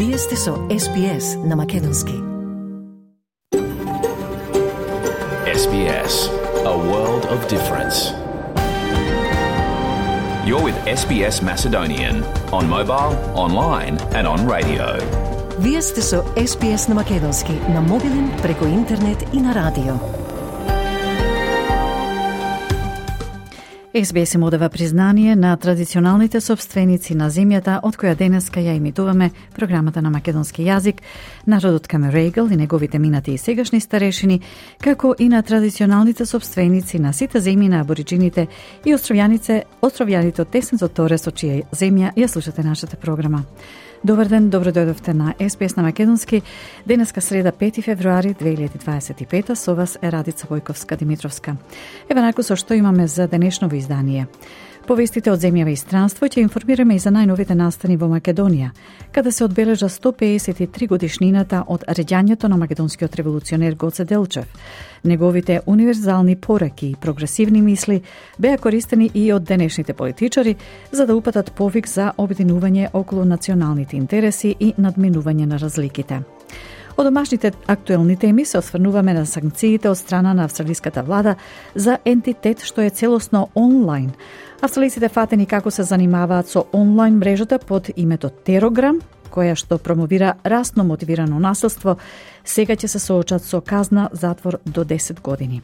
Вие сте со SBS на Македонски. SBS, a world of difference. You're with SBS Macedonian on mobile, online and on radio. Вие сте со SBS на Македонски на мобилен, преку интернет и на радио. SBS им одава признание на традиционалните собственици на земјата, од која денеска ја имитуваме програмата на македонски јазик, народот Камерегл и неговите минати и сегашни старешини, како и на традиционалните собственици на сите земји на абориджините и островјаните од тесното торе со чија земја ја слушате нашата програма. Добар ден, добро дојдовте на SBS на Македонски. Денеска среда 5 февруари 2025, со вас е Радица Војковска-Димитровска. Еве најако со што имаме за денешново издание. Повестите од земјава и странство ќе информираме и за најновите настани во Македонија, каде се одбележа 153 годишнината од реѓањето на македонскиот револуционер Гоце Делчев. Неговите универзални пораки и прогресивни мисли беа користени и од денешните политичари за да упатат повик за обединување околу националните интереси и надминување на разликите. Од домашните актуелни теми се осврнуваме на санкциите од страна на австралиската влада за ентитет што е целосно онлайн. Австралиците фатени како се занимаваат со онлайн мрежата под името Терограм, која што промовира расно мотивирано насилство, сега ќе се соочат со казна затвор до 10 години.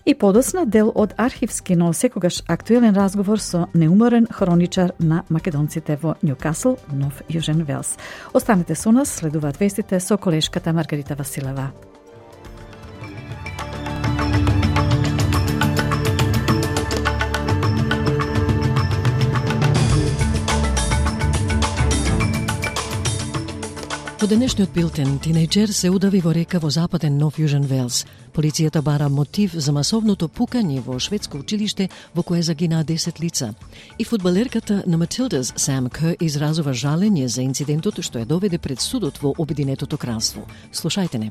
И подосна дел од архивски, но секогаш актуелен разговор со неуморен хроничар на македонците во Нјукасл, Нов Јужен Велс. Останете со нас, следуваат вестите со колешката Маргарита Василева. Во денешниот билтен, тинејџер се удави во река во западен Нов Јужен Велс. Полицијата бара мотив за масовното пукање во шведско училиште во кое загинаа 10 лица. И фудбалерката на Матилдас, Сам Кер, изразува жалење за инцидентот што ја доведе пред судот во Обединетото кралство. Слушајте не.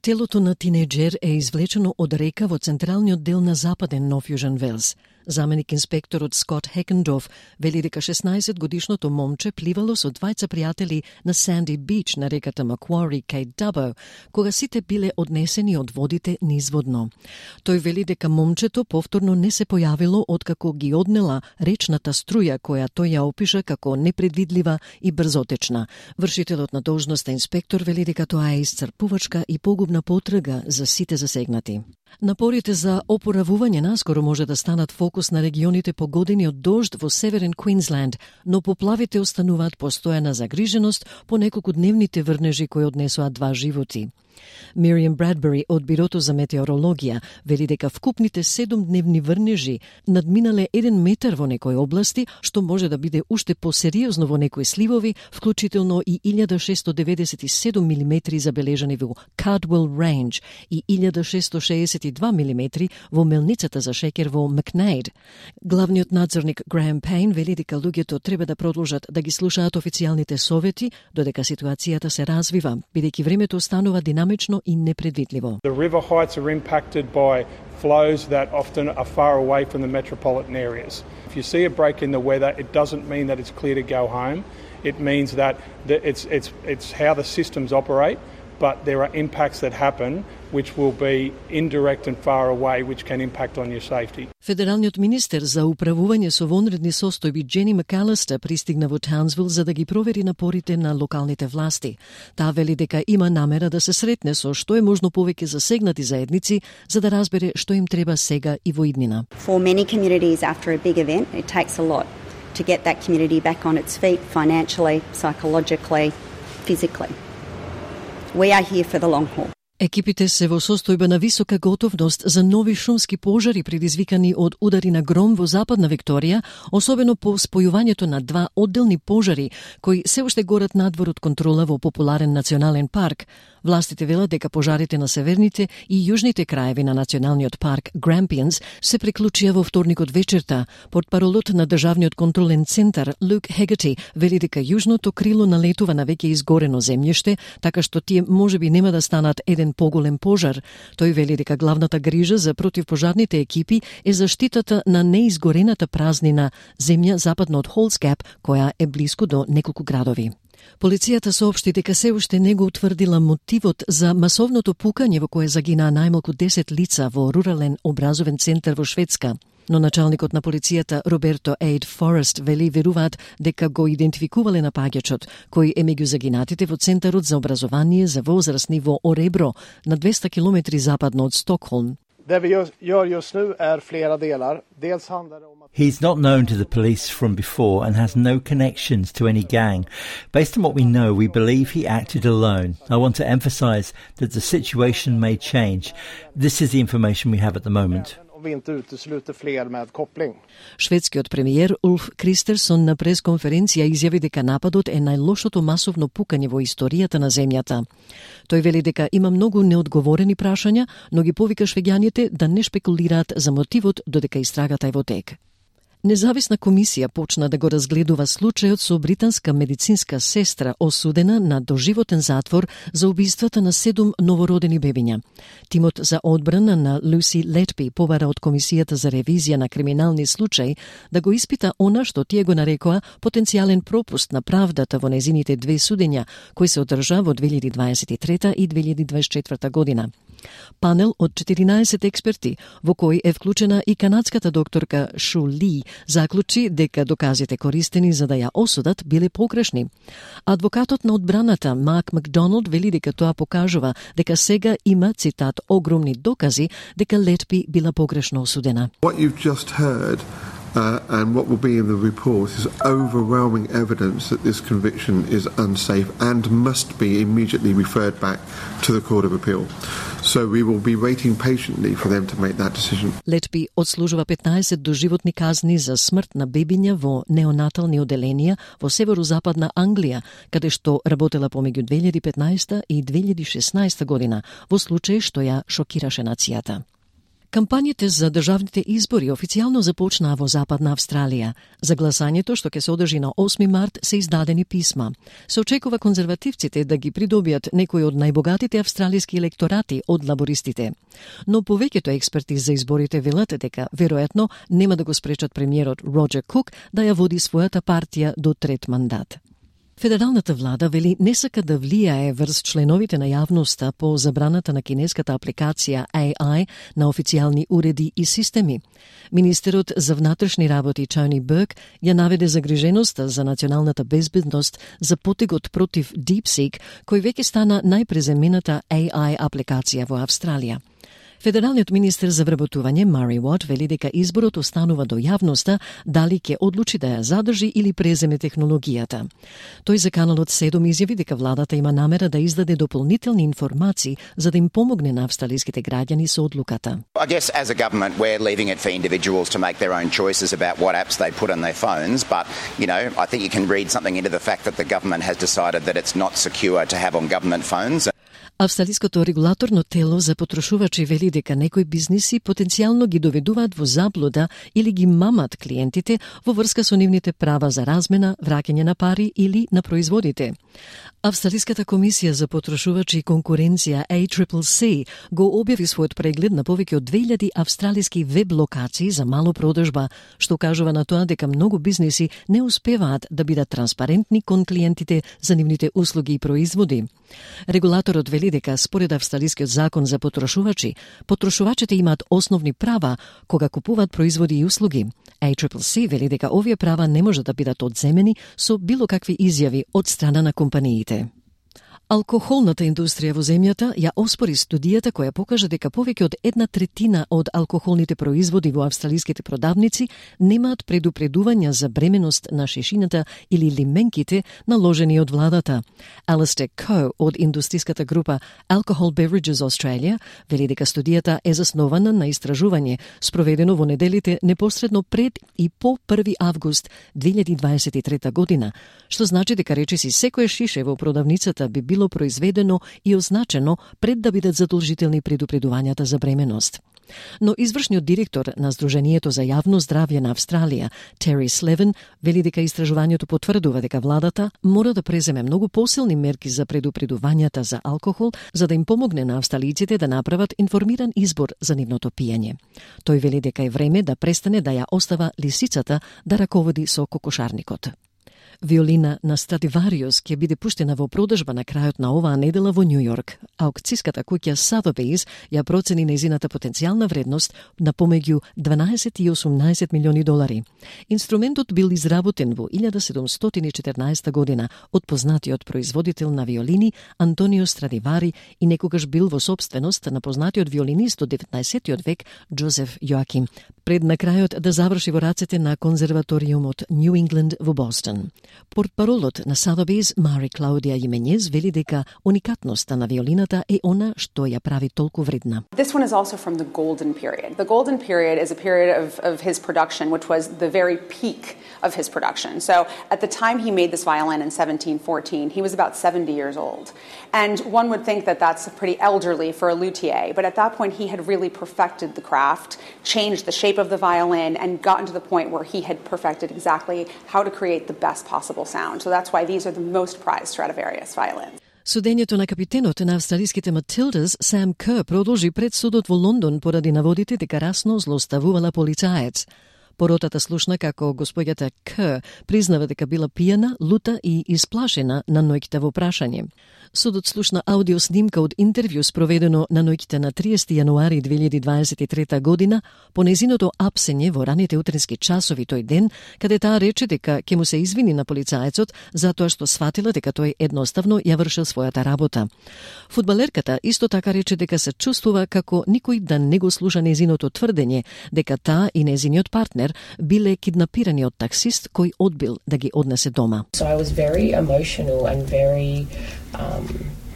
Телото на тинејџер е извлечено од река во централниот дел на западен Нов Јужен Велс. Заменик инспекторот Скот Хекендорф вели дека 16-годишното момче пливало со двајца пријатели на Санди Бич на реката Маквари кај Дабо, кога сите биле однесени од водите низводно. Тој вели дека момчето повторно не се појавило откако ги однела речната струја која тој ја опиша како непредвидлива и брзотечна. Вршителот на должноста инспектор вели дека тоа е исцрпувачка и погубна потрага за сите засегнати. Напорите за опоравување наскоро може да станат фокус на регионите погодени од дожд во северен Квинсленд, но поплавите остануваат постојана загриженост по неколкудневните врнежи кои однесоа 2 животи. Мириам Брадбери од Бирото за метеорологија вели дека вкупните 7-дневни врнежи надминале 1 метар во некои области, што може да биде уште посериозно во некои сливови, вклучително и 1697 милиметри забележани во Cardwell Range и 1662 милиметри во мелницата за шеќер во Макнейд. Главниот надзорник Граем Пейн вели дека луѓето треба да продолжат да ги слушаат официјалните совети додека ситуацијата се развива, бидејќи времето останува динамично и непредвидливо. The river heights are impacted by flows that often are far away from the metropolitan areas. If you see a break in the weather, it doesn't mean that it's clear to go home. It means that it's how the systems operate, but there are impacts that happen which will be indirect and far away, which can impact on your safety. Федералниот министер за управување со вонредни состојби Джени Макалистер пристигна во Таунсвил за да ги провери напорите на локалните власти. Таа вели дека има намера да се сретне со што е можно повеќе засегнати заедници за да разбере што им треба сега и во иднина. For many communities after a big event, it takes a lot to get that community back on its feet financially, psychologically, physically. We are here for the long haul. Екипите се во состојба на висока готовност за нови шумски пожари предизвикани од удари на гром во западна Викторија, особено по спојувањето на 2 одделни пожари кои се уште горат надвор од контрола во популарен национален парк. Властите велат дека пожарите на северните и јужните краеви на националниот парк Grampians се приклучија во вторникот вечерта. Портпаролот на државниот контролен центар Люк Хегати вели дека јужното крило налетува на веќе изгорено земјиште, така што тие можеби нема да станат еден поголем пожар. Тој вели дека главната грижа за противпожарните екипи е заштитата на неизгорената празнина земја западно од Холсгап, која е блиску до неколку градови. Полицијата соопшти дека се уште не го утврдила мотивот за масовното пукање во кое загинаа најмалку 10 лица во рурален образовен центар во Шведска. Но началникот на полицијата Роберто Ейд Форест вели веруваат дека го идентификувале напаѓачот, кој е меѓу загинатите во Центарот за образование за возрастни во Оrebro, на 200 километри западно од Стокхолм. He's not known to the police from before and has no connections to any gang. Based on what we know, we believe he acted alone. I want to emphasize that the situation may change. This is the information we have at the moment. Шведскиот премиер Улф Кристерсон на пресконференција изјави дека нападот е најлошото масовно пукање во историјата на земјата. Тој вели дека има многу неодговорени прашања, но ги повика швеѓаните да не шпекулираат за мотивот додека истрагата е во тек. Независна комисија почна да го разгледува случајот со британска медицинска сестра осудена на доживотен затвор за убиствата на 7 новородени бебиња. Тимот за одбрана на Люси Летби побара од Комисијата за ревизија на криминални случаи да го испита она што тие го нарекоа потенцијален пропуст на правдата во незините 2 судења, кои се одржа во 2023 и 2024 година. Панел од 14 експерти, во кој е вклучена и канадската докторка Шу Ли, заклучи дека доказите користени за да ја осудат биле погрешни. Адвокатот на одбраната Мак Макдоналд вели дека тоа покажува дека сега има, цитат, огромни докази дека Летби била погрешно осудена. What you've just heard and what will be in the report is overwhelming evidence that this conviction is unsafe and must be immediately referred back to the Court of Appeal. So we will be waiting patiently for them to make that decision. Летби одслужува 15 доживотни казни за смрт на бебиња во неонатални оделенија во северозападна Англија, каде што работела помеѓу 2015 и 2016 година, во случај што ја шокираше нацијата. Кампањите за државните избори официјално започнаа во Западна Австралија. За гласањето, што ќе се одржи на 8 март, се издадени писма. Се очекува конзервативците да ги придобијат некои од најбогатите австралиски електорати од лабористите. Но повеќето експерти за изборите велат дека веројатно нема да го спречат премиерот Роџер Кук да ја води својата партија до 3 мандат. Федералната влада вели не сака да влијае врз членовите на јавноста по забраната на кинеската апликација AI на официјални уреди и системи. Министерот за внатрешни работи Тони Берк ја наведе загриженоста за националната безбедност за потегот против DeepSeek, кој веќе стана најпреземената AI апликација во Австралија. Федералниот министер за вработување Мари Уот вели дека изборот останува до јавноста дали ќе одлучи да ја задржи или преземе технологијата. Тој за каналот 7 изјави дека владата има намера да издаде дополнителни информации за да им помогне на австралиските граѓани со одлуката. I guess as a government we're leaving it for individuals to make their own choices about what apps they put on their phones, but I think you can read something into the fact that the government has decided that it's not secure to have on government phones. Австралиското регулаторно тело за потрошувачи вели дека некои бизниси потенцијално ги доведуваат во заблуда или ги мамат клиентите во врска со нивните права за размена, враќање на пари или на производите. Австралиската комисија за потрошувачи и конкуренција ACCC го објави својот преглед на повеќе од 2000 австралиски веб локации за мало продажба, што кажува на тоа дека многу бизниси не успеваат да бидат транспарентни кон клиентите за нивните услуги и производи. Регулаторот вели дека според австралискиот закон за потрошувачи, потрошувачите имаат основни права кога купуваат производи и услуги. ACCC вели дека овие права не можат да бидат одземени со било какви изјави од страна на компаниите. Алкохолната индустрија во земјата ја оспори студијата која покажа дека повеќе од 1/3 од алкохолните производи во австралиските продавници немаат предупредувања за бременост на шешината или лименките наложени од владата. Алистер Ко од индустријската група Alcohol Beverages Australia вели дека студијата е заснована на истражување спроведено во неделите непосредно пред и по 1 август 2023 година, што значи дека речиси секоја шише во продавницата би било било произведено и означено пред да бидат задолжителни предупредувањата за бременост. Но извршниот директор на Сдруженијето за јавно здравје на Австралија, Тери Слевен, вели дека истражувањето потврдува дека владата мора да преземе многу посилни мерки за предупредувањата за алкохол, за да им помогне на австралиците да направат информиран избор за нивното пиење. Тој вели дека е време да престане да ја остава лисицата да раководи со кокошарникот. Виолина на Страдивариус ќе биде пуштена во продажба на крајот на оваа недела во Њу Јорк. Аукцијската куќа Sotheby's ја процени нејзината потенцијална вредност на помеѓу 12 и 18 милиони долари. Инструментот бил изработен во 1714 година од познатиот производител на виолини Антонио Страдивари и некогаш бил во собственост на познатиот виолинист од 19 век Джозеф Јоаким, пред на крајот да заврши во рацете на конзерваториумот Нью Ингланд во Бостон. Портпаролот на Sotheby's, Мари Клаудија Именез, вели дека уникатноста на виолината е она што ја прави толку вредна. This one is also from the golden period. The golden period is a period of his production, which was the very peak of his production. So at the time he made this violin in 1714, he was about 70 years old. And one would think that that's pretty elderly for a luthier, but at that point he had really perfected the craft, changed the shape of the violin, and gotten to the point where he had perfected exactly how to create the best possible sound. So that's why these are the most prized Stradivarius violins. Судењето на капитенот на австралиските Матилдас, Сам Кер, продолжи пред судот во Лондон поради наводите дека расно злоставувала полицаец. Поротата слушна како господјата Кер признава дека била пијана, лута и исплашена на ноќта во прашање. Судот слушна аудиоснимка од интервју спроведено на ноќта на 30 јануари 2023 година по незиното апсење во раните утрински часови тој ден, каде таа рече дека ќе му се извини на полицаецот затоа што сфатила дека тој едноставно ја вршил својата работа. Фудбалерката исто така рече дека се чувствува како никој да не го слуша незиното тврдење дека таа и незиниот партнер биле киднапирани од таксист кој одбил да ги однесе дома. So I was very emotional and very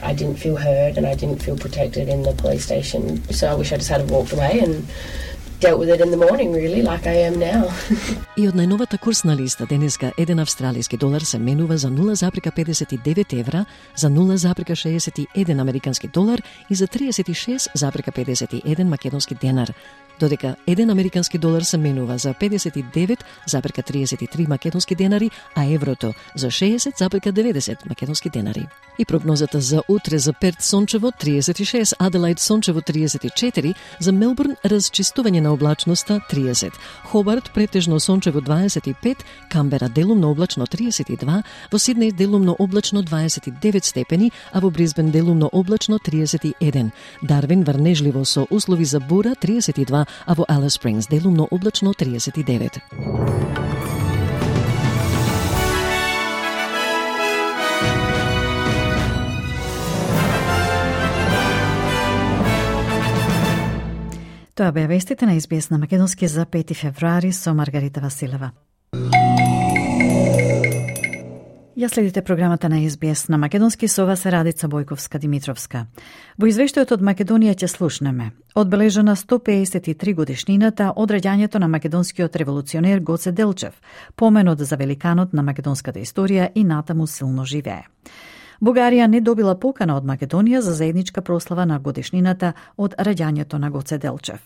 I didn't feel heard and I didn't feel protected in the police station. So I wish I just had walked away and dealt with it in the morning, really, like I am now. И од најновата курсна листа денеска еден австралиски долар се менува за 0,59 евра, за 0,61 американски долар и за 36,51 македонски денар, додека еден американски долар се менува за 59,33 македонски денари, а еврото за 60,90 македонски денари. И прогнозата за утре за Перт сончево 36, Аделаид сончево 34, за Мелбурн разчистување на облачноста 30, Хобарт претежно сончево 25, Камбера делумно облачно 32, во Сиднеј делумно облачно 29 степени, а во Брисбен делумно облачно 31, Дарвин врнежливо со услови за бура 32, а во Алис Спрингс делумно облачно 39. Тоа беа вестите на СБС на македонски за 5 февруари со Маргарита Василева. Ја следите програмата на СБС на македонски со вас Радица Бојковска-Димитровска. Во извештајот од Македонија ќе слушнеме одбележана 153 годишнината од раѓањето на македонскиот револуционер Гоце Делчев, поменот за великанот на македонската историја и натаму силно живее. Бугарија не добила покана од Македонија за заедничка прослава на годишнината од раѓањето на Гоце Делчев.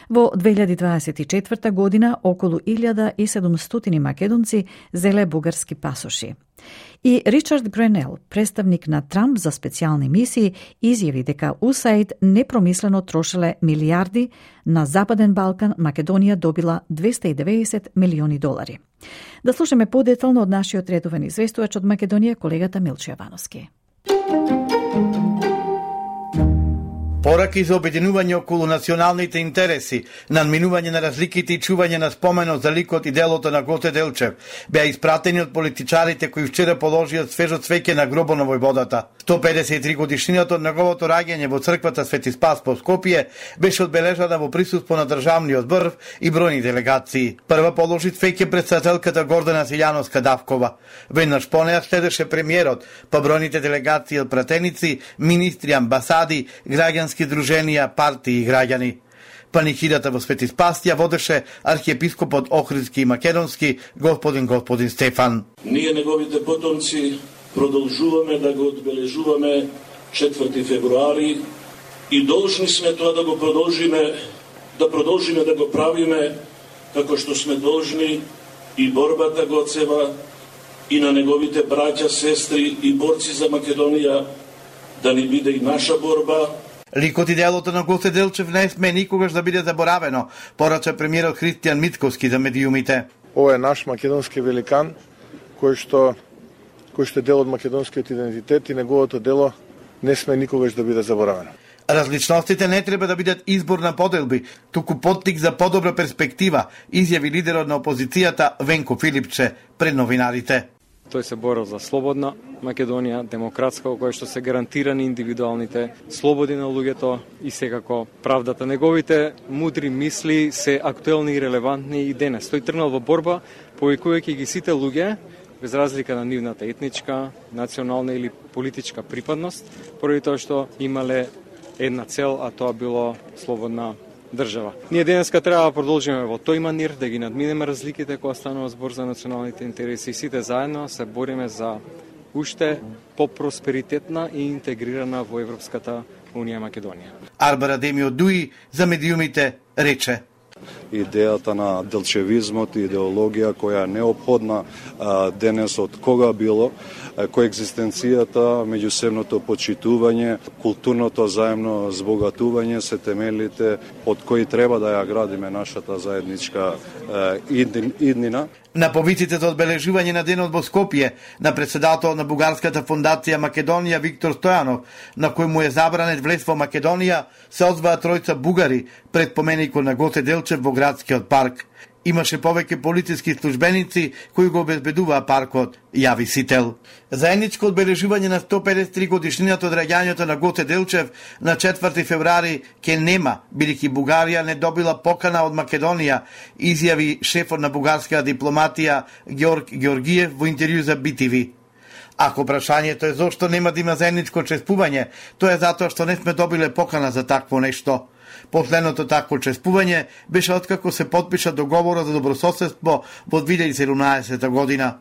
Во 2024 година околу 1700 македонци зеле бугарски пасоши. И Ричард Гренел, представник на Трамп за специјални мисии, изјави дека УСАИД непромислено трошеле милиарди на Западен Балкан, Македонија добила 290 милиони долари. Да слушаме подетално од нашиот редовен известувач од Македонија, колегата Милчо Јовановски. Пораки за обединување околу националните интереси, надминување на разликите и чување на споменот за ликот и делото на Гоце Делчев беа испратени од политичарите кои вчера положија свежо цвеќе на гробот на војводата. 153 годишнината од неговото раѓање во црквата Свети Спас по Скопје беше одбележана во присуство на државниот врв и бројни делегации. Прва положи цвеќе претседателката Гордана Силјановска-Давкова. Веднаш по неја следеше премиерот, па бројните делегации од пратеници, министри, амбасади, граѓански друженија, партии и граѓани. Панихидата во Свети Спас ја водеше архиепископот Охридски и Македонски господин Стефан. Ние неговите потомци продолжуваме да го одбележуваме 4 февруари и должни сме тоа да го продолжиме да го правиме како што сме должни и борбата Гоцева и на неговите браќа, сестри и борци за Македонија да ни биде и наша борба. Ликот и делото на Гоце Делчев не сме никогаш да биде заборавено, порача премиерот Христијан Мицковски за медиумите. Ова е наш македонски великан, кој што е дел од македонскиот идентитет и неговото дело не сме никогаш да биде заборавено. Различностите не треба да бидат избор на поделби, туку поттик за подобра перспектива, изјави лидерот на опозицијата Венко Филипче пред новинарите. Тој се борел за слободна Македонија, демократска, која што се гарантирани индивидуалните слободи на луѓето и секако правдата. Неговите мудри мисли се актуелни и релевантни и денес. Тој тргнал во борба, повикувајќи ги сите луѓе, без разлика на нивната етничка, национална или политичка припадност, поради тоа што имале една цел, а тоа било слободна држава. Ние денеска треба да продолжиме во тој манир, да ги надминеме разликите кога станува збор за националните интереси и сите заедно се бориме за уште по-просперитетна и интегрирана во Европската Унија Македонија. Арбара Демио Дуи за медиумите рече: идејата на делчевизмот и идеологија која е неопходна денес од кога било, коегзистенцијата, меѓусебното почитување, културното заемно збогатување се темелите од кои треба да ја градиме нашата заедничка иднина. На повиците за одбележување на денот во Скопје, на председател на Бугарската фондација Македонија Виктор Стојанов, на кој му е забранет влез во Македонија, се озваа тројца бугари пред поменикот на Гоце Делчев во градскиот парк. Имаше повеќе полициски службеници кои го обезбедуваа паркот, јави Сител. Заедничко одбележување на 153 годишнината од раѓањето на Гоце Делчев на 4 февруари ке нема, бидејќи Бугарија не добила покана од Македонија, изјави шефот на бугарска дипломатија Георг Георгиев во интервју за BTV. Ако прашањето е зошто нема да има заедничко чествување, тоа е затоа што не сме добиле покана за такво нешто. Последното такво чествување беше откако се потпиша договорот за добрососедство во 2017 година.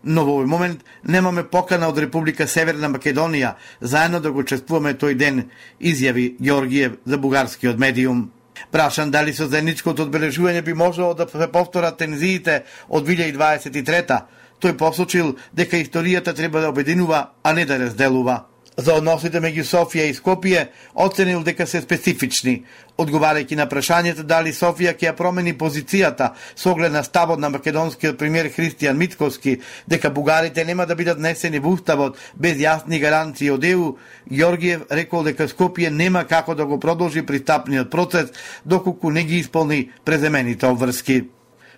Но во овој момент немаме покана од Република Северна Македонија заедно да го чествуваме тој ден, изјави Георгиев за бугарскиот медиум. Прашан дали со заедничкото одбележување би можело да се повторат тензиите од 2023-та, тој посочил дека историјата треба да обединува, а не да разделува. За односите меѓу Софија и Скопје оценил дека се специфични, одговарајќи на прашањето дали Софија ќе ја промени позицијата со оглед на ставот на македонскиот премиер Христијан Мицковски дека бугарите нема да бидат внесени во уставот без јасни гаранции од ЕУ, Георгиев рекол дека Скопје нема како да го продолжи пристапниот процес доколку не ги исполни преземените обврски.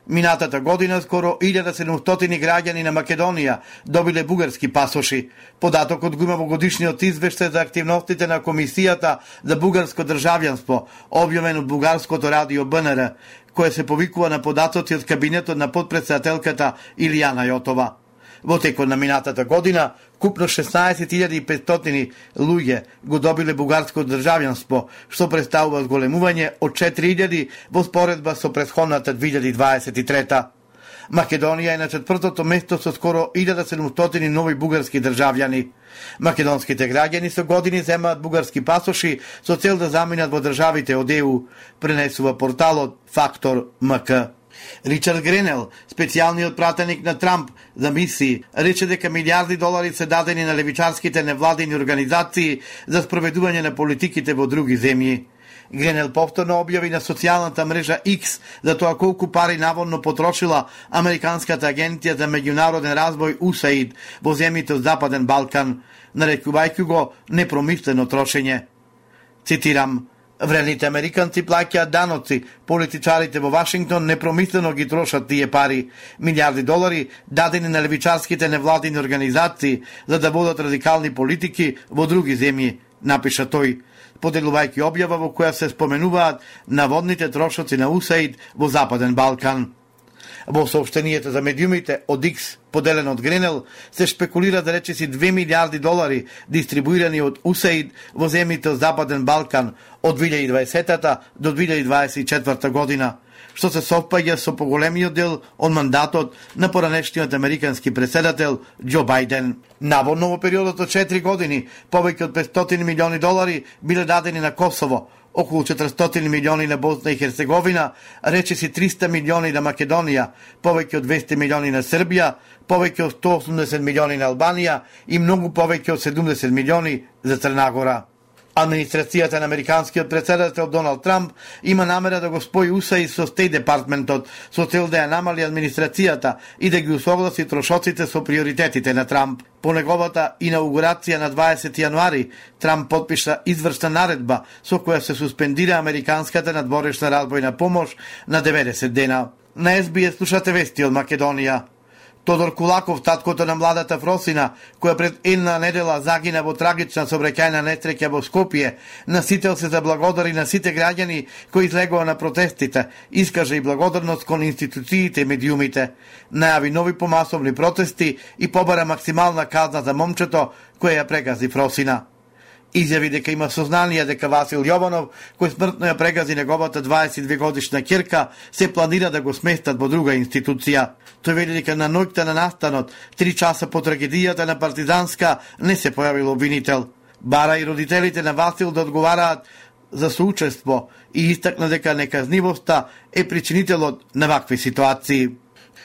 Минатата година скоро 1700 граѓани на Македонија добиле бугарски пасоши. Податокот го има во годишниот извештај за активностите на Комисијата за бугарско државјанство, објавен од бугарското радио БНР, кое се повикува на податоци од кабинетот на подпредседателката Илијана Јотова. Во текот на минатата година, купно 16.500 луѓе го добиле бугарско државјанство, што представува зголемување од 4.000 во споредба со претходната 2023. Македонија е на 4-то место со скоро 1700 нови бугарски државјани. Македонските граѓани со години земаат бугарски пасоши со цел да заминат во државите од ЕУ, пренесува порталот Фактор МК. Ричард Гренел, специјалниот пратеник на Трамп за мисии, рече дека милиарди долари се дадени на левичарските невладини организации за спроведување на политиките во други земји. Гренел повторно објави на социјалната мрежа X за тоа колку пари наводно потрошила Американската агенција за меѓународен развој USAID во земјите од Западен Балкан, нарекувајќи го непромислено трошење. Цитирам: вредните американци плаќаат даноци, политичарите во Вашингтон непромислено ги трошат тие пари, милиарди долари дадени на левичарските невладини организации за да водат радикални политики во други земји, напиша тој, поделувајќи објава во која се споменуваат наводните трошоци на USAID во Западен Балкан. Во сообштенијата за медиумите од X, поделен од Гренел, се шпекулира да речиси 2 милиарди долари дистрибуирани од USAID во земјите од Западен Балкан од 2020 до 2024 година. што се совпаѓа со поголемиот дел од мандатот на поранешниот американски претседател Џо Бајден. Наводно во периодот од 4 години повеќе од $500 милиони биле дадени на Косово, околу 400 милиони на Босна и Херцеговина, речиси 300 милиони на Македонија, повеќе од 200 милиони на Србија, повеќе од 180 милиони на Албанија и многу повеќе од 70 милиони за Црна Гора. Администрацијата на американскиот претседател Доналд Трамп има намера да го спои УСАИД со Стејт департментот со цел да ја намали администрацијата и да ги усогласи трошоците со приоритетите на Трамп. По неговата инаугурација на 20 јануари, Трамп подпиша извршна наредба со која се суспендира американската надворешна разбојна помош на 90 дена. На СБС слушате вести од Македонија. Тодор Кулаков, таткото на младата Фросина, која пред една недела загина во трагична сообраќајна несреќа во Скопје, на сител се заблагодари на сите граѓани кои излегоа на протестите, искаже и благодарност кон институциите и медиумите, најави нови помасовни протести и побара максимална казна за момчето кој ја прегази Фросина. Изјави дека има сознание дека Васил Јованов, кој смртно ја прегази неговата 22 годишна ќерка, се планира да го сместат во друга институција. Тој вели дека на ноќта на настанот, 3 часа по трагедијата на Партизанска, не се појавил обвинител. Бара и родителите на Васил да одговараат за соучество и истакна дека неказнивоста е причинителот на вакви ситуации.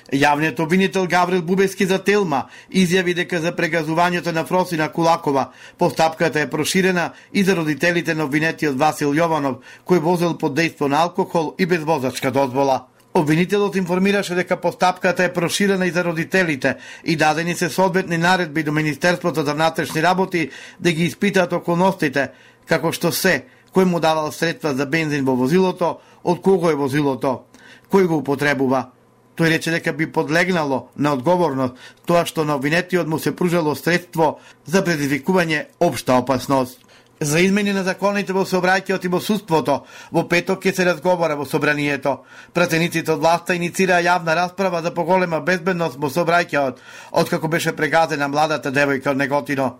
Јавниот обвинител Гаврил Бубески за Телма изјави дека за прегазувањето на Фросина Кулакова постапката е проширена и за родителите на обвинетиот Васил Јованов, кој возел под дејство на алкохол и без возачка дозвола. Обвинителот информираше дека постапката е проширена и за родителите и дадени се соодветни наредби до Министерството за внатрешни работи да ги испитаат околностите, како што се, кој му давал средства за бензин во возилото, од кого е возилото, кој го употребува. Тој рече дека би подлегнало на одговорност тоа што на обвинетиот му се пружало средство за предизвикување општа опасност. За измени на законите во сообраќајот и во судството, во петок ќе се разговара во собранието. Пратениците од власта иницираа јавна расправа за поголема безбедност во сообраќајот, откако беше прегазена младата девојка од Неготино.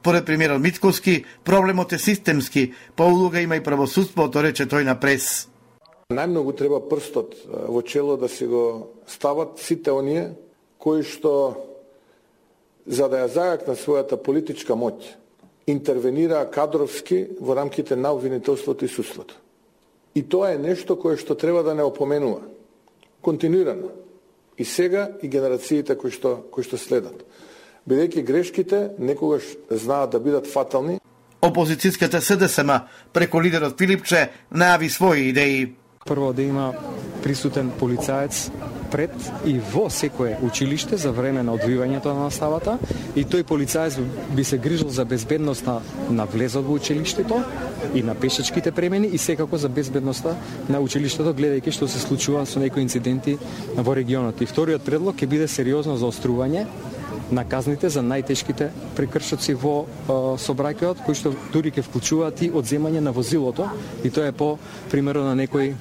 Поред премиерот Мицкоски, проблемот е системски, па улога има и правосудството, рече тој на прес. Најмногу треба прстот во чело да си го стават сите оние кои што, за да ја зајакнат својата политичка моќ, интервенираа кадровски во рамките на обвинителството и судството. И тоа е нешто кое што треба да не опоменува. Континуирано. И сега и генерациите кои што следат. Бидејќи грешките некогаш знаат да бидат фатални. Опозицијската СДСМ преку лидерот Филипче најави своји идеи. Прво да има присутен полицаец пред и во секое училиште за време на одвивањето на наставата и тој полицаец би се грижил за безбедноста на влезот во училиштето и на пешачките премени и секако за безбедноста на училиштето, гледајќи што се случува со некои инциденти во регионот. И вториот предлог ќе биде сериозно заострување на казните за најтешките прекршоци во сообраќајот, кои што дури ќе вклучуваат и одземање на возилото, и тоа е по примерот на некои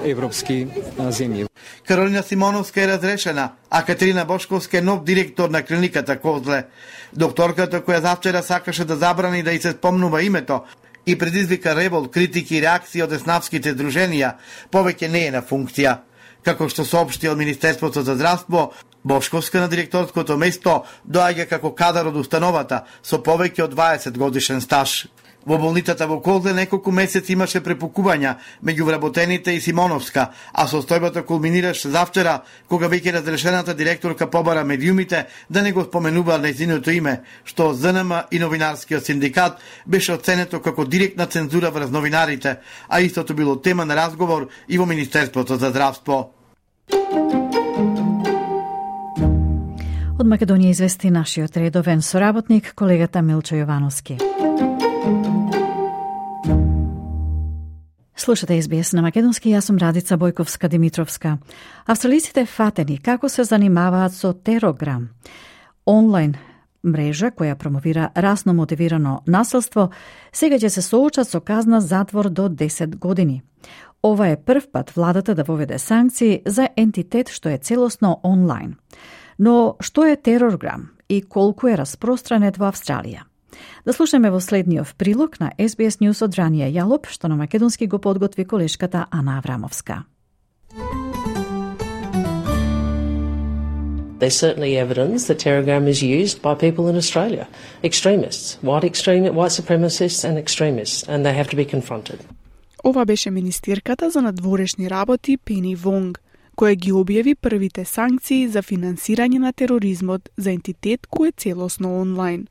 европски земји. Каролина Симоновска е разрешена, а Катерина Бошковска е нов директор на клиниката Козле. Докторката која завчера сакаше да забрани да и се спомнува името и предизвика револ, критики и реакции од деснавските здруженија, повеќе не е на функција. Како што соопшти од Министерството за здравство, Бошковска на директорското место доаѓа како кадар од установата со повеќе од 20 годишен стаж. Во болницата во Козле неколку месеци имаше препукувања меѓу вработените и Симоновска, а состојбата кулминираше завчера кога веќе разрешената директорка побара медиумите да не го споменува нејзиното име, што ЗНМ и новинарскиот синдикат беше оценето како директна цензура врз новинарите, а истото било тема на разговор и во Министерството за здравство. Од Македонија извести нашиот редовен соработник, колегата Милчо Јовановски. Слушате СБС на македонски, јас сум Радица Бојковска-Димитровска. Австралиците фатени како се занимаваат со Терограм, онлайн мрежа која промовира расно мотивирано насилство, сега ќе се соочат со казна затвор до 10 години. Ова е прв пат владата да воведе санкции за ентитет што е целосно онлайн. Но што е Терограм и колку е распространет во Австралија? Да слушаме во следниот прилог на SBS News од Ранија Јалоп, што на македонски го подготви колешката Ана Аврамовска. There's certainly evidence that Telegram is used by people in Australia, extremists, white supremacists and extremists, and they have to be confronted. Ова беше министерката за надворешни работи Пени Вонг, која ги објави првите санкции за финансирање на тероризмот за ентитет кој е целосно онлайн.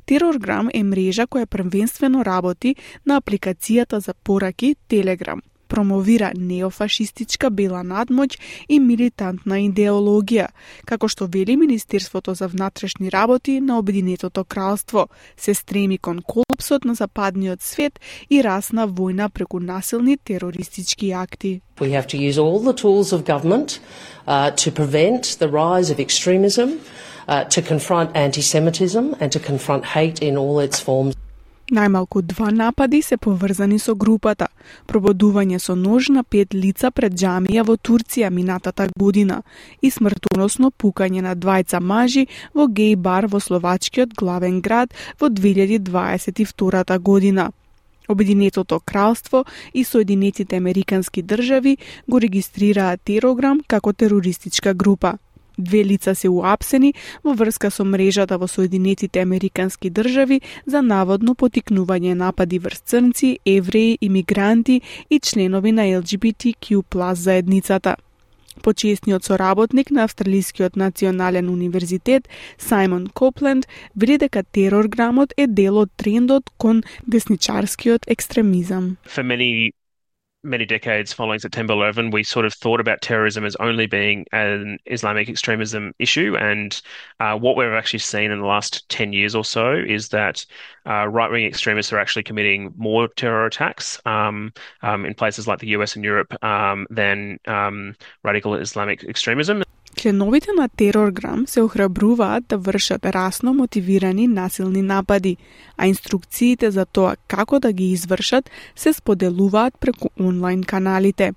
Терорграм е мрежа која првенствено работи на апликацијата за пораки Телеграм. Промовира неофашистичка бела надмоќ и милитантна идеологија, како што вели Министерството за внатрешни работи на Обединетото кралство, се стреми кон колапсот на западниот свет и расна војна преку насилни терористички акти. We have to use all the tools of government to prevent the rise of extremism, to confront anti-Semitism and to confront hate in all its forms. Најмалку 2 напади се поврзани со групата. Прободување со нож на 5 лица пред џамија во Турција минатата година и смртоносно пукање на 2 мажи во геј бар во словачкиот главен град во 2022 година. Обединетото кралство и Соединетите Американски држави го регистрираат Телеграм како терористичка група. 2 лица се уапсени во врска со мрежата во Соединетите Американски држави за наводно потикнување напади врз црнци, евреи, имигранти и членови на LGBTQ+ заедницата. Почесниот соработник на Австралискиот национален универзитет Саймон Копленд вели дека терорграмот е дел од трендот кон десничарскиот екстремизам. Many decades following September 11, we sort of thought about terrorism as only being an Islamic extremism issue. And what we've actually seen in the last 10 years or so is that right-wing extremists are actually committing more terror attacks in places like the US and Europe than radical Islamic extremism. Членовите на Терорграм се охрабруваат да вршат расно мотивирани насилни напади, а инструкциите за тоа како да ги извршат се споделуваат преку онлайн каналите.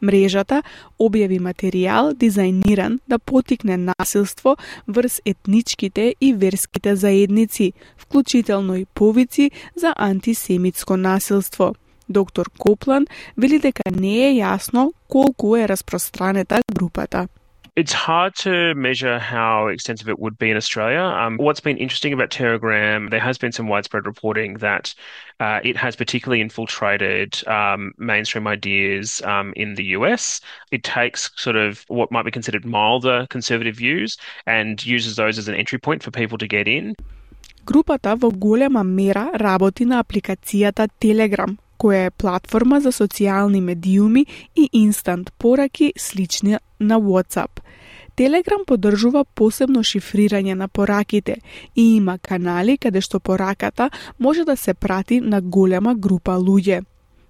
Мрежата објави материјал дизајниран да потикне насилство врз етничките и верските заедници, вклучително и повици за антисемитско насилство. Доктор Копланд вели дека не е јасно колку е распространета групата. It's hard to measure how extensive it would be in Australia. What's been interesting about Telegram, there has been some widespread reporting that it has particularly infiltrated mainstream ideas in the US. It takes sort of what might be considered milder conservative views and uses those as an entry point for people to get in. Групата во голема мера работи на апликацијата Telegram, која е платформа за социјални медиуми и инстант пораки слични на WhatsApp. Telegram поддржува посебно шифрирање на пораките и има канали каде што пораката може да се прати на голема група луѓе.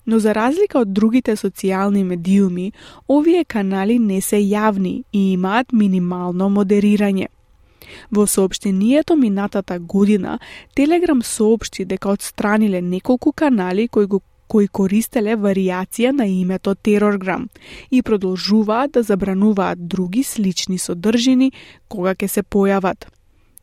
Но за разлика од другите социјални медиуми, овие канали не се јавни и имаат минимално модерирање. Во соопштението минатата година, Telegram соопшти дека отстраниле неколку канали кои користеле варијација на името Терорграм и продолжуваат да забрануваат други слични содржини кога ќе се појават.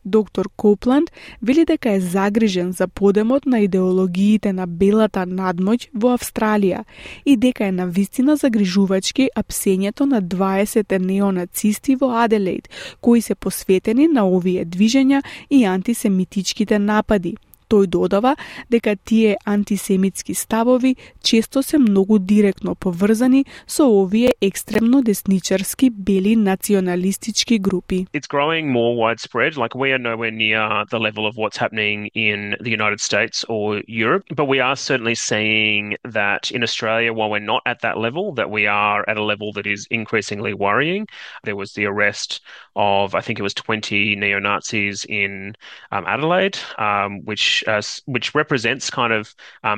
Доктор Копланд вели дека е загрижен за подемот на идеологиите на белата надмоќ во Австралија и дека е навистина загрижувачки апсењето на 20 неонацисти во Аделаид, кои се посветени на овие движења и антисемитичките напади. Тој додава дека тие антисемитски ставови често се многу директно поврзани со овие екстремно десничарски бели националистички групи. It's growing more widespread. Like, we are nowhere near the level of what's happening in the United States or Europe, but we are certainly seeing that in Australia, while we're not at that level, that we are at a level that is increasingly worrying. There was the arrest of, I think it was 20 neo-Nazis in Adelaide, which represents kind of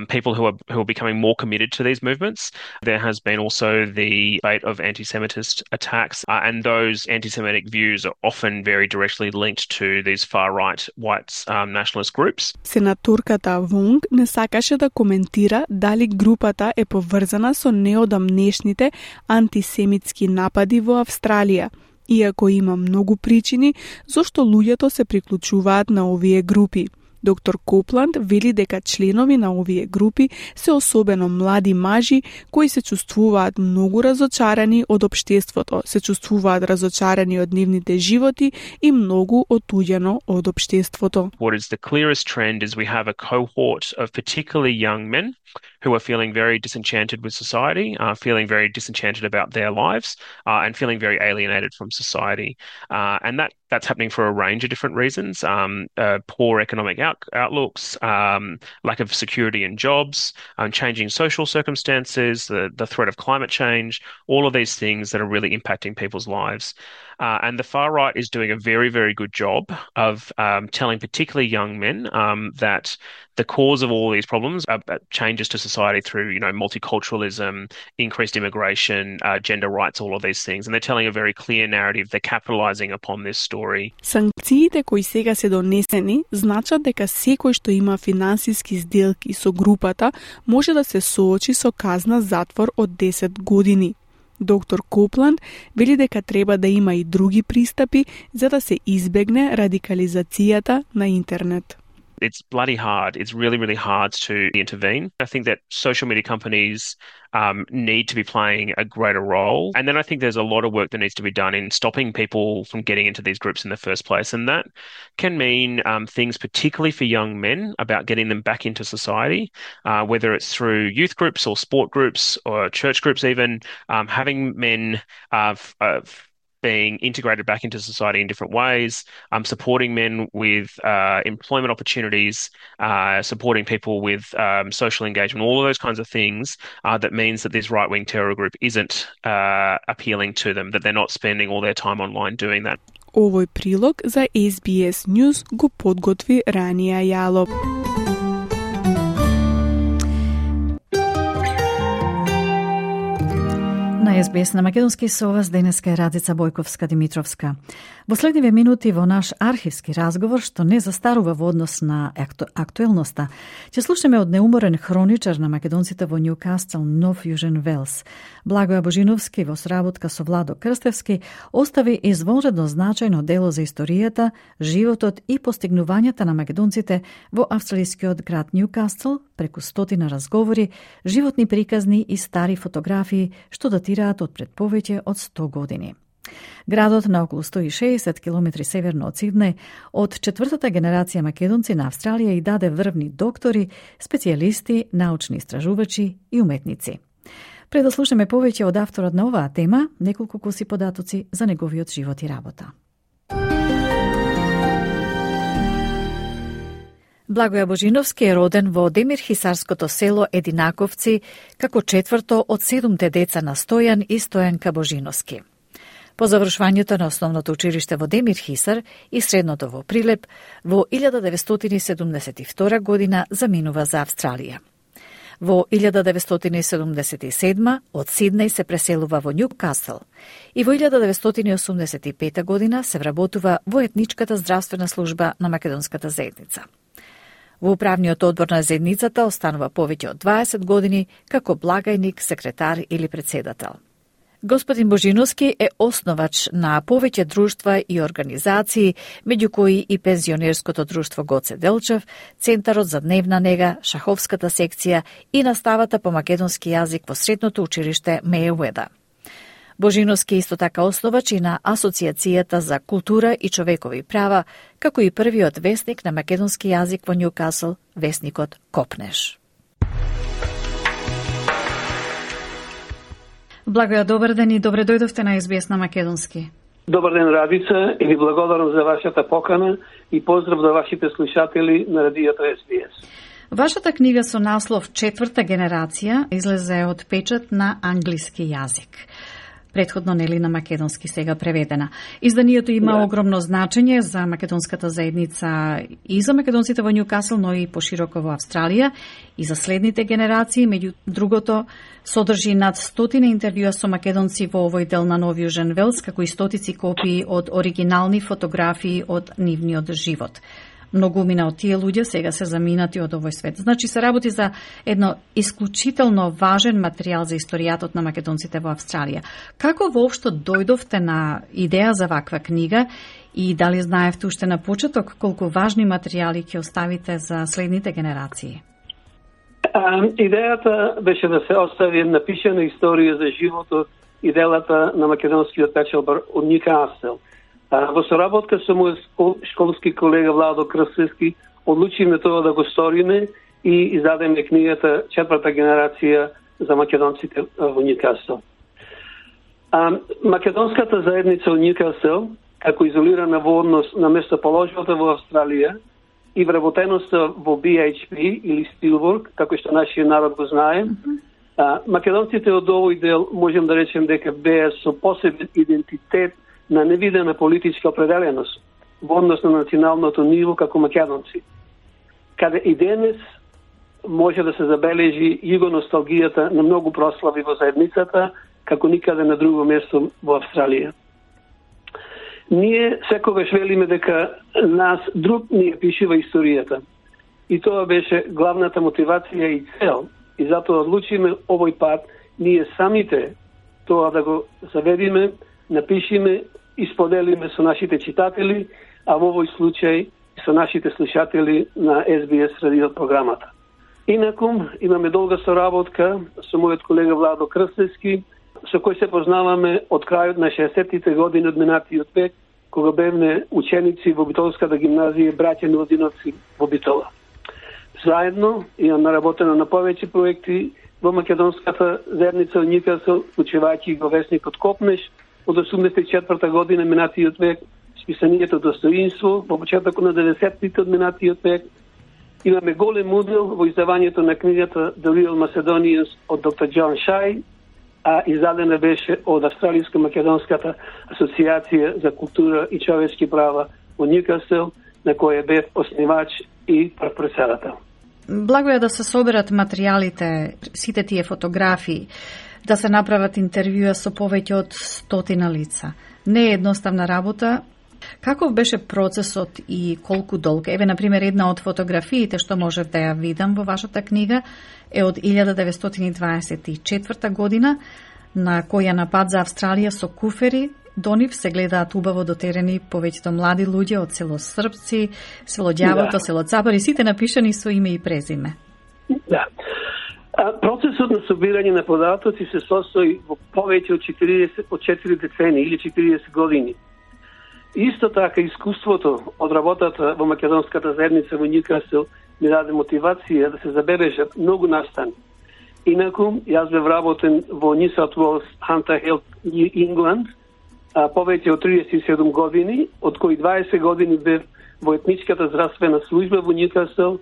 people who are becoming more committed to these movements. There has been also the debate of anti-Semitist attacks, and those anti-Semitic views are often very directly linked to these far-right white nationalist groups. Сенаторката Вонг не сакаше да коментира дали групата е поврзана со неодамнешните антисемитски напади во Австралија, иако има многу причини зошто луѓето се приклучуваат на овие групи. Доктор Копланд вели дека членови на овие групи се особено млади мажи кои се чувствуваат многу разочарани од општеството, се чувствуваат разочарани од нивните животи и многу отуѓено од општеството. What is the clearest trend is we have a cohort of particularly young men who are feeling very disenchanted with society, feeling very disenchanted about their lives, and feeling very alienated from society. And that's happening for a range of different reasons. Poor economic outlooks, lack of security in jobs, changing social circumstances, the threat of climate change, all of these things that are really impacting people's lives. And the far right is doing a very, very good job of telling particularly young men that the cause of all these problems are changes to society through, multiculturalism, increased immigration, gender rights, all of these things. And they're telling a very clear narrative. They're capitalizing upon this story. Санкциите кои сега се донесени значат дека секој што има финансиски сделки со групата може да се соочи со казна затвор од 10 години. Доктор Копланд вели дека треба да има и други пристапи за да се избегне радикализацијата на интернет. It's bloody hard. It's really, really hard to intervene. I think that social media companies need to be playing a greater role. And then I think there's a lot of work that needs to be done in stopping people from getting into these groups in the first place. And that can mean things particularly for young men about getting them back into society, whether it's through youth groups or sport groups or church groups even, having men being integrated back into society in different ways, supporting men with employment opportunities, supporting people with social engagement, all of those kinds of things that means that this right-wing terror group isn't appealing to them, that they're not spending all their time online doing that. Овој прилог за SBS News го подготви Рания Јалов. На СБС на македонски со вас денеска е Радица Бојковска-Димитровска. Во следниве минути во наш архивски разговор, што не застарува во однос на актуелноста, ќе слушаме од неуморен хроничар на македонците во Ньюкасл, Нов Јужен Велс. Благоја Божиновски во соработка со Владо Крстевски остави извонредно значајно дело за историјата, животот и постигнувањата на македонците во австралискиот град Ньюкасл преку стотина разговори, животни приказни и стари фотографии што датираат од пред повеќе од 100 години. Градот на околу 160 км северно од Сиднеј, од четвртата генерација македонци на Австралија и даде врвни доктори, специјалисти, научни истражувачи и уметници. Пред да слушаме повеќе од авторот на оваа тема, неколку куси податоци за неговиот живот и работа. Благоја Божиновски е роден во Демирхисарското село Единаковци како четврто од 7 деца на Стојан и Стојанка Божиновски. По завршувањето на основното училиште во Демирхисар и средното во Прилеп, во 1972 година заминува за Австралија. Во 1977 од Сиднеј се преселува во Ньюкасл и во 1985 година се вработува во етничката здравствена служба на македонската заедница. Во управниот одбор на заедницата останува повеќе од 20 години како благајник, секретар или председател. Господин Божиновски е основач на повеќе друштва и организации, меѓу кои и пензионерското друштво Гоце Делчев, Центарот за дневна нега, шаховската секција и наставата по македонски јазик во средното училиште Мејуеда. Божиновски исто така основач и на Асоциацијата за култура и човекови права, како и првиот весник на македонски јазик во Ньюкасл, весникот Копнеш. Благоја, добар ден и добре дојдовте на СБС на македонски. Добар ден, Радица, и ви благодарам за вашата покана и поздрав за вашите слушатели на радиото СБС. Вашата книга со наслов Четврта генерација излезе од печат на англиски јазик. Претходно нели на македонски, сега преведена. Изданието има огромно значење за македонската заедница и за македонците во Ньюкасл, но и пошироко во Австралија и за следните генерации. Меѓу другото, содржи над 100 интервјуа со македонци во овој дел на Нов Јужен Велс, како и стотици копии од оригинални фотографии од нивниот живот. Многумина од тие луѓе сега се заминати од овој свет. Значи се работи за едно исклучително важен материјал за историјатот на македонците во Австралија. Како воопшто дојдовте на идеја за ваква книга и дали знаевте уште на почеток колку важни материјали ќе оставите за следните генерации? Идејата беше да се остави напишана историја за животот и делата на македонскиот печалбар од Ньюкасел. Во соработка со мој школски колега Владо Крстевски одлучиме тоа да го сториме и издадеме книгата Четврта генерација за македонците во Ньюкасел. Македонската заедница во Ньюкасел, како изолирана во однос на местоположбата во Австралија и вработеноста во BHP или Стилворк, како што нашиот народ го знае, македонците од овој дел можем да речем дека беа со посебен идентитет на невидена политичка определеност во однос на националното ниво како македонци. Каде и денес може да се забележи југоносталгијата на многу прослави во заедницата, како никаде на друго место во Австралија. Ние секогаш велиме дека нас друг ни ја пишува историјата. И тоа беше главната мотивација и цел. И затоа одлучиме овој пат ние самите тоа да го заведиме, напишиме и споделиме со нашите читатели, а во овој случај со нашите слушатели на SBS радио програмата. Инаку, имаме долга соработка со мојот колега Владо Крстевски, со кој се познаваме од крајот на 60-тите години од минатиот век, кога бевме ученици во Битолската гимназија браќа Милодиновци во Битола. Заедно имаме работено на повеќе проекти во македонската заедница во Ньюкасел, вклучувајќи го весникот Копнеш од 84-та година минатиот век, списанието Достоинство во почетокот на 90-тите од минатиот век. Имаме голем удел во издавањето на книгата The Real Macedonians од доктор Џон Шај, а издадена беше од Австралиско-македонската асоциација за култура и човечки права во Ньюкасел, на која бев основач и председател. Благо е да се соберат материјалите, сите тие фотографии, да се направат интервјуа со повеќе од 100 лица. Не е едноставна работа. Каков беше процесот и колку долг? Еве, например, една од фотографиите што можев да ја видам во вашата книга е од 1924 година, на која на пат за Австралија со куфери до нив се гледаат убаво дотерени повеќето млади луѓе од село Српци, село Ѓавото, село Цапари, сите напишани со име и презиме. Да. Процесот на собирање на податоци се состои во повеќе од 4 децени или 40 години. Исто така, искуството од работата во македонската заедница во Ньюкасел ми даде мотивација да се забележат многу настани. Инаку, јас бев работен во New South Wales Hunter Health New England повеќе од 37 години, од кои 20 години бев во етничката здравствена служба во Ньюкасел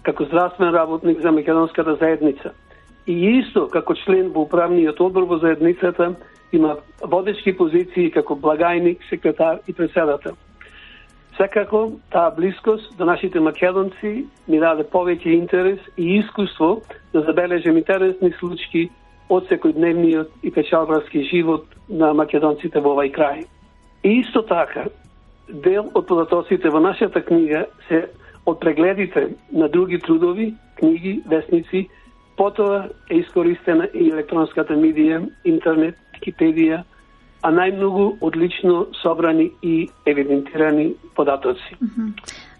како здравствен работник за македонската заедница. И исто како член во управниот одбор во заедницата има водечки позиции како благајник, секретар и председател. Секако, таа блискост до нашите македонци ми даде повеќе интерес и искуство да забележам интересни случаи од секојдневниот и печалбарски живот на македонците во овај крај. И исто така, дел од податоците во нашата книга се од прегледите на други трудови, книги, весници, потоа е искористена и електронската медија, интернет, Википедија, а најмногу одлично собрани и евидентирани податоци.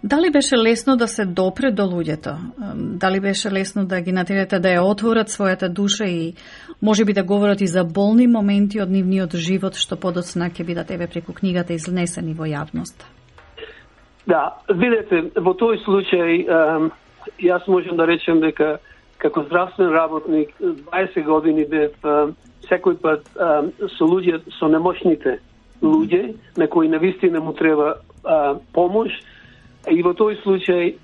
Дали беше лесно да се допре до луѓето? Дали беше лесно да ги натерате да ја отворат својата душа и можеби да говорат и за болни моменти од нивниот живот што подоцна ќе бидат еве преку книгата изнесени во јавноста? Да, видете, во тој случај јас можам да речем дека како здравствен работник 20 години бев секој пат со луѓе, со немошните луѓе, на кои навистина му треба помош. И во тој случај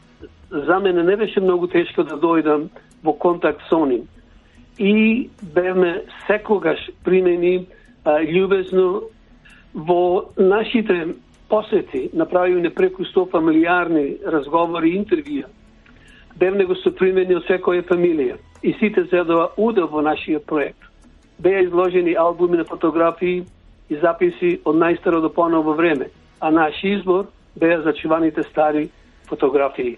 за мене не беше многу тешко да дојдам во контакт со нив. И бевме секогаш примени љубезно во нашите посети, направивме преку 100 фамилиарни разговори и интервјуа. Бевме го сопримени од секоја фамилија и сите зедоа удел во нашиот проект. Беа изложени албуми на фотографии и записи од најстаро до поново време, а наш избор беа зачуваните стари фотографии.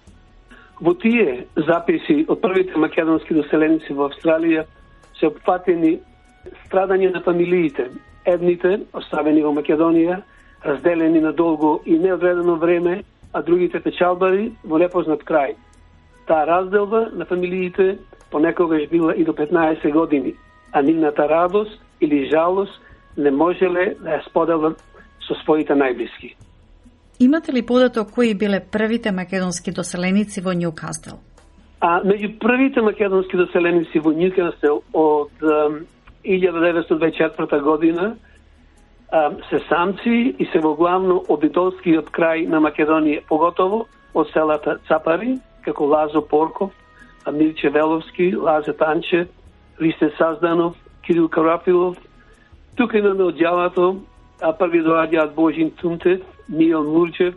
Во тие записи од првите македонски доселеници во Австралија се опфатени страдање на фамилиите. Едните оставени во Македонија, разделени на долго и неодредено време, а другите печалбари во непознат крај. Таа разделба на фамилиите понекогаш била и до 15 години, а нивната радост или жалост не можеле да ја споделат со своите најблиски. Имате ли податок кои биле првите македонски доселеници во Нјукасл? Меѓу првите македонски доселеници во Нјукасл од 1924 година се самци и се во главно од италскиот крај на Македонија, поготово од селата Цапари, како Лазо Порков, Мирче Веловски, Лазе Танче, Ристе Сазданов, Кирил Карафилов. Тука имаме од ѓавато, први доаѓаат Божин Тумтев, Мијел Мурчев,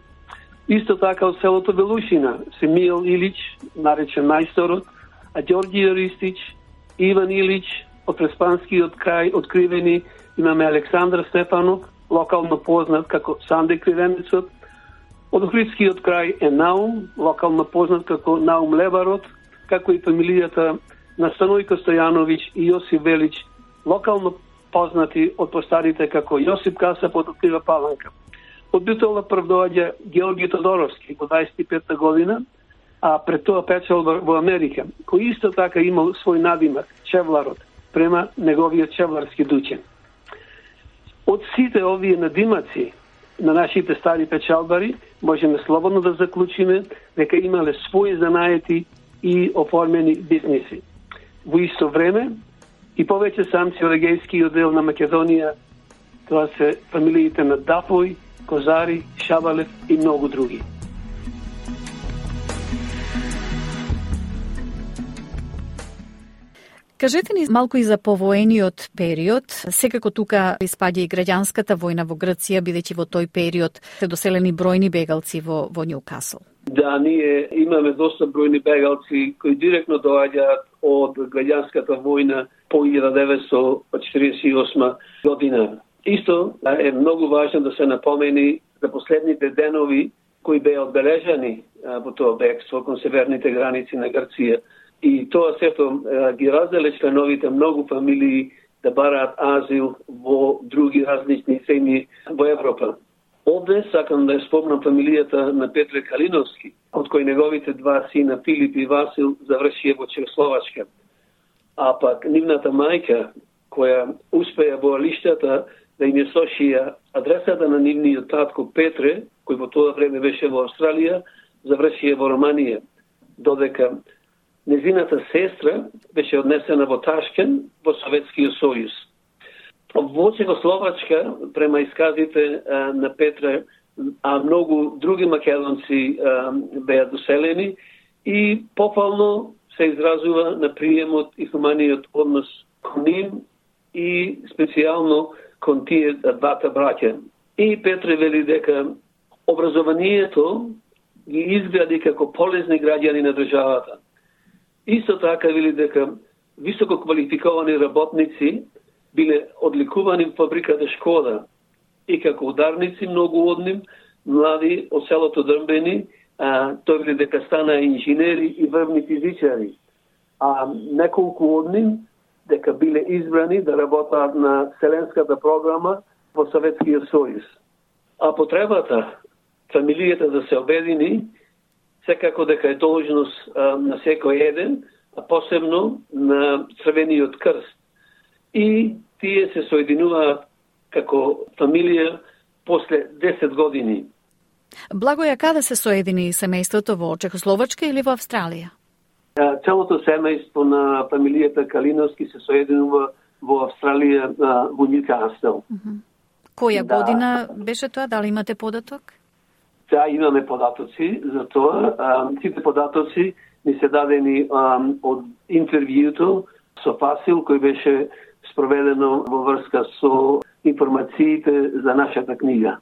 исто така од селото Велушина, се Мијел Илич, наречен мајсторот, а Ѓорѓије Ристич, Иван Илич, од Преспанскиот крај откривени имаме Александр Стефанов, локално познат како Санде Кривенецот, од Охридскиот крај е Наум, локално познат како Наум Леварот, како и фамилијата на Станојко Стојановиќ и Јосип Велич, локално познати од постарите како Јосип Касап од Открива Паланка. Од Битола прв доаѓа Георги Тодоровски во 25 година, а пред тоа печал во Америка, кој исто така имал свој надимак, Чевларот, према неговиот чевларски дучен. Од сите овие надимаци на нашите стари печалбари, можеме слободно да заклучиме дека имале своји занаети и оформени бизниси. Во исто време, и повеќе самци од егејскиот дел на Македонија, тоа се фамилиите на Дафој, Козари, Шабалев и многу други. Кажете ни малку и за повоениот период. Секако тука испаѓа и граѓанската војна во Грција, бидејќи во тој период се доселени бројни бегалци во Нјукасл. Да, ние имаме доста бројни бегалци кои директно доаѓаат од граѓанската војна по 1948 година. Исто е многу важно да се напомени за последните денови кои беа одбележани во тоа бегство кон северните граници на Грција. И тоа сето ги разделе членовите многу фамилии да бараат азил во други различни земји во Европа. Овде сакам да спомнам фамилијата на Петре Калиновски, од кој неговите два сина Филип и Васил завршија во Чехословачка. А пак нивната мајка, која успеа во лиштата да им ја сошија адресата на нивниот татко Петре, кој во тоа време беше во Австралија, завршија во Романија, додека незината сестра беше однесена во Ташкен, во Советскиот сојуз. Во Чехословачка, према исказите на Петра, а многу други македонци беа доселени и попално се изразува на приемот и хуманиот однос кон нив и специјално кон тие двата браќа. И Петре вели дека образованието ги изгради како полезни граѓани на државата. Исто така вели дека високо квалификовани работници биле одликувани во фабриката Шкода и како ударници многу од нив, млади од селото Дрмбени, тој вели дека стана инженери и врвни физичари, а неколку од нив дека биле избрани да работат на Вселенската програма во Советскиот сојуз. А потребата фамилијата да се обедини секако дека е должност на секој еден, а посебно на Црвениот крст. И тие се соединуваат како фамилија после 10 години. Благоја, каде се соедини семејството, во Чехословачка или во Австралија? Целото семејство на фамилијата Калиновски се соединува во Австралија, во Нјукасл. Која година беше тоа? Дали имате податок? Да, имаме податоци за тоа. Сите податоци ни се дадени од интервјуто со Фасил, кој беше спроведено во врска со информациите за нашата книга.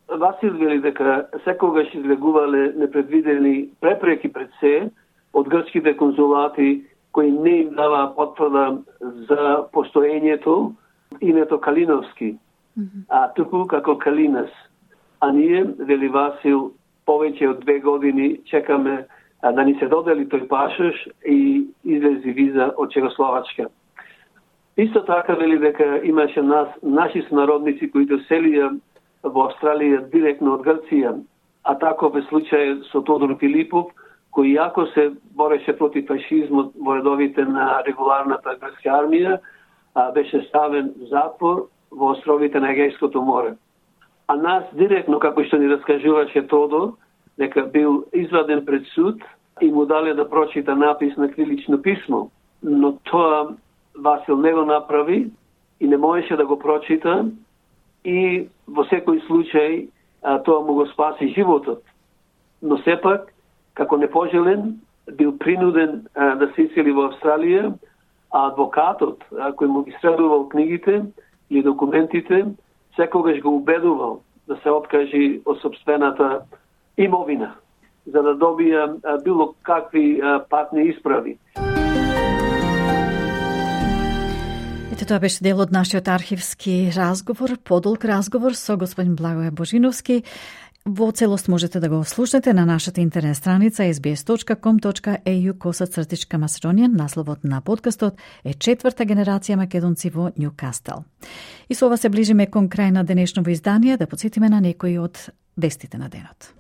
Васил вели дека секогаш излегувале непредвидени препреки пред се од грчките конзулати кои не им даваа потврда за постоењето името Калиновски, а туку како Калинас. А ние, вели Васил, повеќе од 2 години чекаме да ни се додели тој пашош и излези виза од Чехословачка. Исто така вели дека имаше наши сонародници кои селија во Австралија директно од Грција, а таков е случај со Тодор Филипов, кој јако се бореше против фашизмот во редовите на регуларната грчка армија, беше ставен в затвор во островите на Егејското море. А нас директно, како што ни раскажуваше Тодор, дека бил изваден пред суд и му дале да прочита напис на крилично писмо. Но тоа Васил не го направи и не можеше да го прочита и во секој случај тоа му го спаси животот. Но сепак, како непожелен, бил принуден да се исели во Австралија, а адвокатот, кој му ги средувал книгите и документите, секогаш го убедувал да се откажи од собствената имовина, за да добија било какви патни исправи. Ете, тоа беше дел од нашиот архивски разговор, подолг разговор со господин Благоје Божиновски. Во целост можете да го слушнете на нашата интернет страница sbs.com.au/Macedonian. Насловот на подкастот е 4-та генерација македонци во Нјукастел. И со ова се ближиме кон крај на денешново издание, да потсетиме на некои од вестите на денот.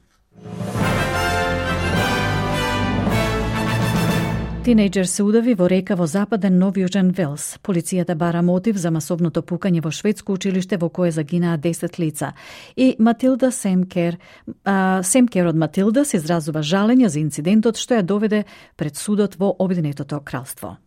Тинејџер се удави во река во западен Нов Јужен Велс. Полицијата бара мотив за масовното пукање во шведско училиште во кое загинаа 10 лица. И Матилда Семкер од Матилда се изразува жалење за инцидентот што ја доведе пред судот во Обединетото кралство.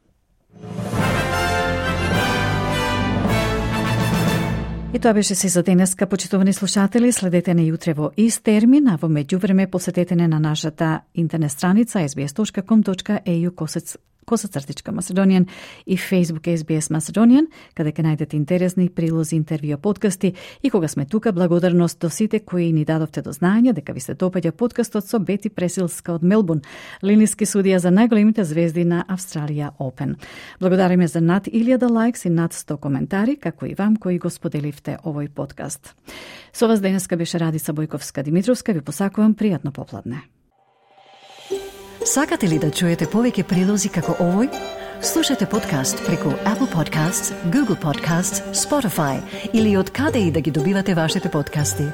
И тоа беше се за денеска, почитувани слушатели. Следете не јутре во ист термин, а во меѓувреме посетете на нашата интернет страница sbs.com.au/Macedonian и Facebook SBS Macedonian, каде ќе најдете интересни прилози, интервјуа, подкасти. И кога сме тука, благодарност до сите кои ни дадовте до знаење дека ви се допаѓа подкастот со Бети Пресилска од Мелбурн, линиски судија за најголемите звезди на Австралија Open. Благодариме за над 1000 лајкс и над 100 коментари, како и вам кои го споделивте овој подкаст. Со вас денеска беше Радица Бојковска-Димитровска. Ви посакувам пријатно попладне. Сакате ли да чуете повеќе прилози како овој? Слушате подкаст преку Apple Podcasts, Google Podcasts, Spotify или од каде и да ги добивате вашите подкасти.